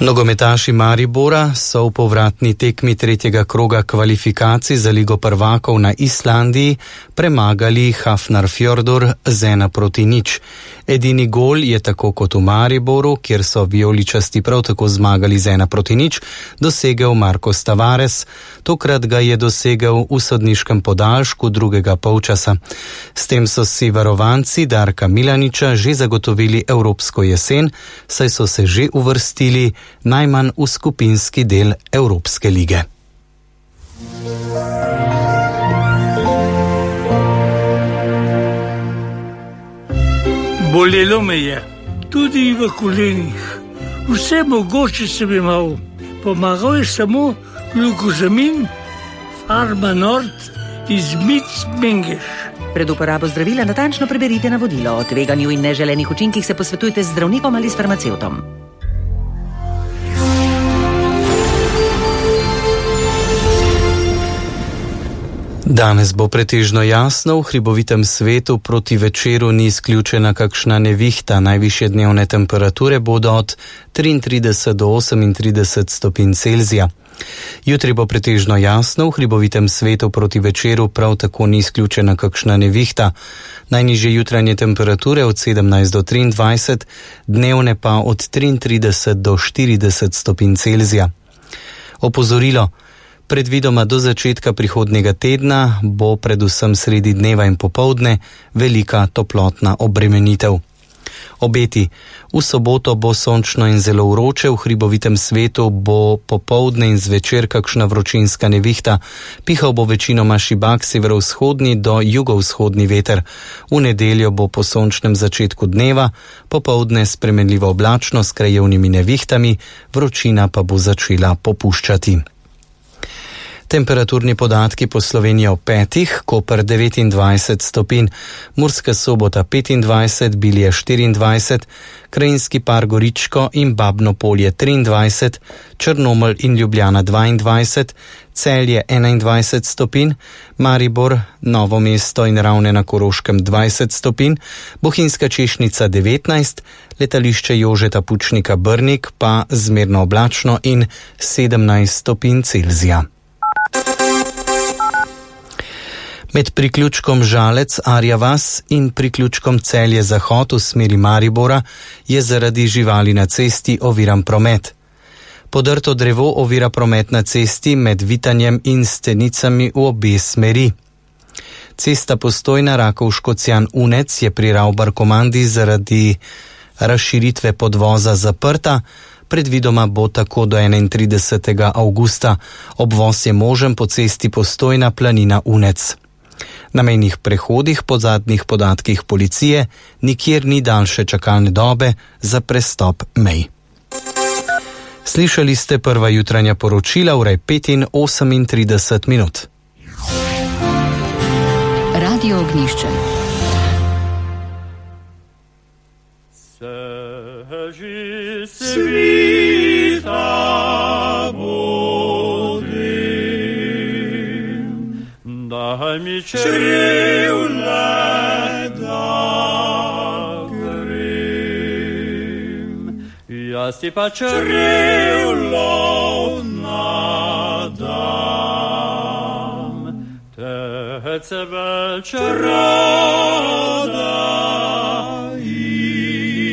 Nogometaši Maribora so v povratni tekmi tretjega kroga kvalifikacij za Ligo prvakov na Islandiji premagali Hafnarfjordur z 1-0. Edini gol je tako kot v Mariboru, kjer so vijoličasti prav tako zmagali z 1-0, dosegel Marcos Tavares. Tokrat ga je dosegel v sodniškem podaljšku drugega polčasa. S tem so si varovanci Darka Milaniča že zagotovili evropsko jesen, saj so se že uvrstili najmanj v skupinski del Evropske lige. Bolelo me je, tudi v kolenih. Vse mogoče sem imel. Pomagal je samo glukozamin, Farma Nord iz Mengeš. Pred uporabo zdravila natančno preberite navodilo. O tveganju in neželenih učinkih se posvetujte z zdravnikom ali s farmacevtom. Danes bo pretežno jasno, v hribovitem svetu proti večeru ni izključena kakšna nevihta. Najvišje dnevne temperature bodo od 33 do 38 stopinj Celzija. Jutri bo pretežno jasno, v hribovitem svetu proti večeru prav tako ni izključena kakšna nevihta. Najnižje jutranje temperature od 17 do 23, dnevne pa od 33 do 40 stopinj Celzija. Opozorilo. Predvidoma do začetka prihodnjega tedna bo predvsem sredi dneva in popoldne velika toplotna obremenitev. Obeti. V soboto bo sončno in zelo vroče, v hribovitem svetu bo popoldne in zvečer kakšna vročinska nevihta. Pihal bo večinoma šibak severovzhodni do jugovzhodni veter. V nedeljo bo po sončnem začetku dneva, popoldne spremenljivo oblačno s krajevnimi nevihtami, vročina pa bo začela popuščati. Temperaturni podatki po Sloveniji o 5, Koper 29 stopinj, Murska Sobota 25, Bilje 24, Krajinski par Goričko in Babno Polje 23, Črnomelj in Ljubljana 22, Celje 21 stopinj, Maribor, Novo mesto in Ravne na Koroškem 20 stopinj, Bohinjska Češnica 19, letališče Jožeta Pučnika Brnik pa zmerno oblačno in 17 stopinj Celzija. Med priključkom Žalec, Arja vas in priključkom Celje Zahod v smeri Maribora je zaradi živali na cesti oviran promet. Podrto drevo ovira promet na cesti med Vitanjem in Stenicami v obe smeri. Cesta Postojna Rakovško-Cjan-Unec je pri Ravbar-Komandi zaradi razširitve podvoza zaprta. Predvidoma bo tako do 31. avgusta. Obvoz je možen po cesti Postojna Planina-Unec. Na mejnih prehodih po zadnjih podatkih policije nikjer ni daljše čakalne dobe za prestop mej. Slišali ste prva jutranja poročila ure 5:38 minut. Radio Ognjišče. Svita bodrim, daj mi črevle da grem, jaz ti pa črevlo nadam, te cebel čaroda